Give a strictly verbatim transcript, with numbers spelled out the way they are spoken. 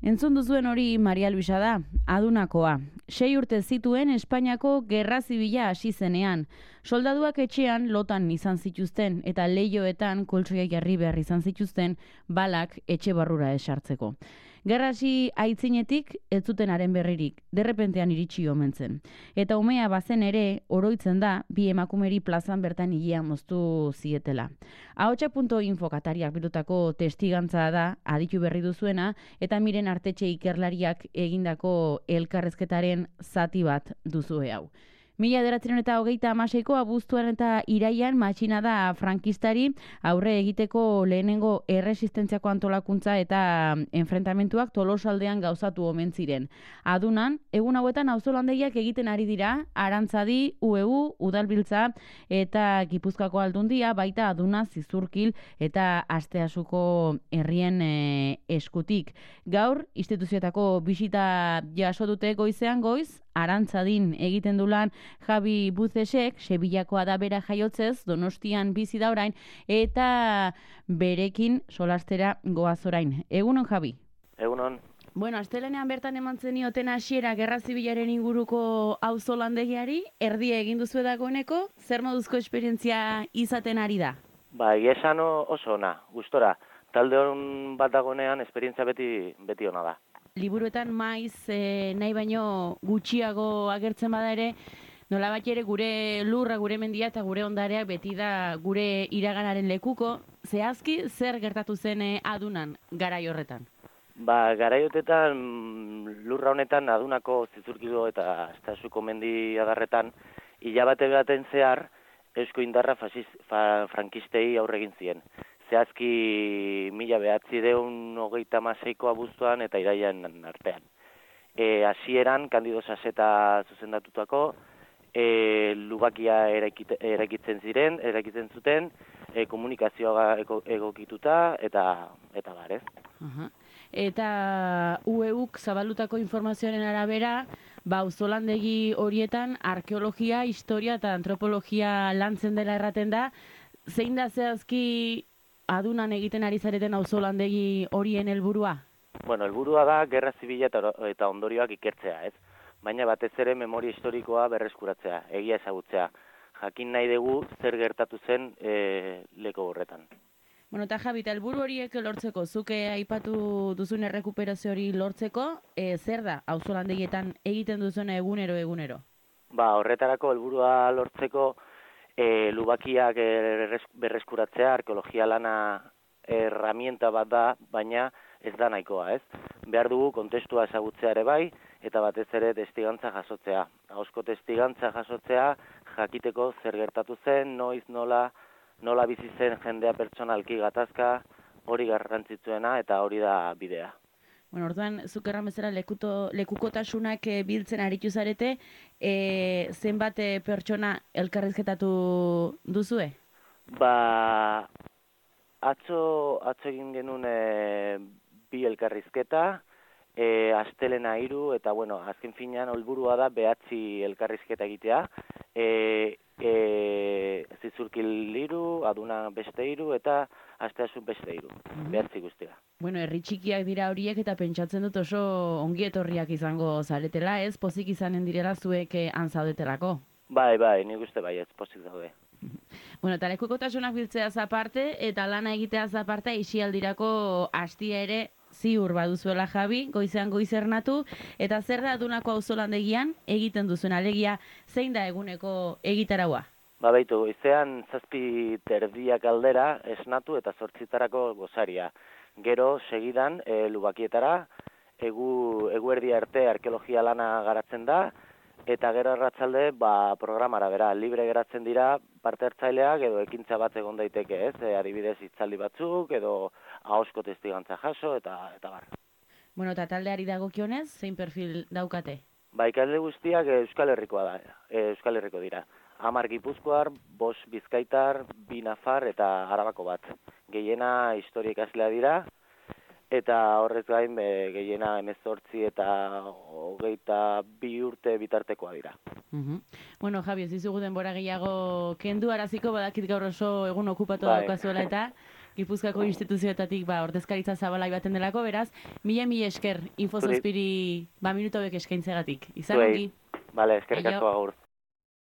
Entzun duzuen hori Maria Luisa da, adunakoa. Sei urte zituen Espainiako gerra zibila hasi zenean. Soldaduak etxean lotan izan zituzten eta leihoetan koltsoiak jarri behar izan zituzten balak etxe barrura esartzeko. Gerra hasi aitzinetik ez zuten haren berririk, derrepentean iritsi omen zen. Eta umea bazen ere, oroitzen da, bi emakumeri plazan bertan ilea moztu zietela. ahotsak puntu info katariak bildutako testigantza da, aditu berri duzuena, eta miren artetxe ikerlariak egindako elkarrezketaren zati bat duzue hau. Mila bederatziehun eta hogeita hamaseiko abuztuan eta iraian matxinada frankistari aurre egiteko lehenengo erresistentziako antolakuntza eta enfrentamentuak Tolosaldean gauzatu omen ziren. Adunan, egun hauetan auzolandegiak egiten ari dira, Arantzadi, U E U, Udalbiltza eta Gipuzkoako Aldundia, baita Aduna, Zizurkil eta Asteasuko herrien e, eskutik. Gaur, instituzioetako bisita jaso dute goizean goiz, Arantzadin egiten du lan Javi Buzesek, Sevillakoa da bera jaiotzez, Donostian bizi da orain, eta berekin solastera goaz orain. Egunon, Javi? Egunon. Bueno, astelenean bertan eman zenioten hasiera Gerra Zibilaren inguruko auzolandegiari, erdia egin duzu dagoeneko, zer moduzko esperientzia izaten ari da? Ba, egia esan oso ona, gustora. Talde hon bat dagoenean, esperientzia beti, beti ona da. Liburuetan maiz e, nahi baino gutxiago agertzen bada ere, nolabait ere gure lurra, gure mendia eta gure ondareak beti da gure iraganaren lekuko. Zehazki zer gertatu zen e, adunan garai horretan? Ba, garaiotetan lurra honetan adunako Zizurkilo eta Asteasuko mendi adarretan hilabete baten zehar eusko indarra fasiz, fa, frankistei aurre egin zien. Zehazki mila behatziehun hogeita hamaseiko abuztuan eta iraian artean. E, hasieran Kandido Saseta zuzendatutako, e, lubakia eraikite, eraikitzen ziren, eraikitzen zuten, e, komunikazioa egokituta eta eta bar, ez? Uh-huh. Eta U E Uk zabaldutako informazioaren arabera, ba, auzolandegi horietan arkeologia, historia eta antropologia lantzen dela erraten da. Zein da zehazki adunan egiten ari zareten auzolandegi horien helburua? Bueno, helburua da gerra zibila eta, eta ondorioak ikertzea, ez? Baina batez ere memoria historikoa berreskuratzea, egia ezagutzea. Jakin nahi dugu zer gertatu zen e, leko horretan. Bueno, eta Javi, helburu horiek lortzeko, zuke aipatu duzun errekuperazio hori lortzeko, e, zer da auzolandegietan egiten duzuna egunero egunero? Ba, horretarako helburua lortzeko E, lubakiak berreskuratzea, arkeologia lana herramienta bat da, baina ez da nahikoa, ez? Behar dugu kontestua ezagutzea ere bai, eta batez ere testigantza jasotzea. Ahozko testigantza jasotzea, jakiteko zer gertatu zen, noiz, nola, nola bizi zen jendea pertsonalki gatazka, hori garrantzitsuena eta hori da bidea. Bueno, orduan, zuk erran bezala lekuto, lekukotasunak e, biltzen aritu zarete, e, zenbat e, pertsona elkarrizketatu duzue? Ba, atzo, atzo egin genuen e, bi elkarrizketa, e, astelena hiru, eta bueno, azken finean helburua da behatzi elkarrizketa egitea, e, e, Zizurkil hiru, Aduna beste hiru, eta Asteasu beste hiru, mm-hmm. behatzi guztia. Bueno, herri txikiak dira horiek eta pentsatzen dut oso ongi etorriak izango zaretela, ez? Pozik izanen direla zuek han zaudetelako. Bai, bai, nik uste bai, ez pozik daude. Bueno, eta lekukotasunak biltzeaz aparte eta lana egiteaz aparte aisialdirako hastia ere ziur baduzuela, Javi, goizean goizernatu, eta zer da Adunako auzolandegian egiten duzuen alegia, zein da eguneko egitaraua? Ba, baitu, goizean zazpi terdiak aldera esnatu eta zortzitarako gozaria. Gero, segidan, e, lubakietara, egu, eguerdia arte arkeologia lana garatzen da, eta gero arratzalde, ba, programara, bera, libre geratzen dira parte hartzaileak edo ekintza bat egon daiteke, ez? E, adibidez hitzaldi batzuk, edo ahozko testigantza jaso, eta eta bar. Bueno, eta taldeari dagokionez, zein perfil daukate? Ba, ikalde guztiak Euskal Herrikoa da, e, Euskal Herriko dira. Hamar Gipuzkoar, bost Bizkaitar, bi Nafar eta Arabako bat. Gehiena historia ikaslea dira, eta horrez gain be, gehiena hemezortzi eta hogeita bi urte bitartekoa dira. Uh-huh. Bueno, Javi, ez dizugu denbora gehiago kendu araziko, badakit gaur oso egun okupatu bai. daukazuela eta Gipuzkoako instituzioetatik ba, ordezkaritza zabalai baten delako, beraz, mila mila esker, infozazpiri ba minuto bek eskaintzegatik. Izan ongi? Bale, eskerrik asko agur.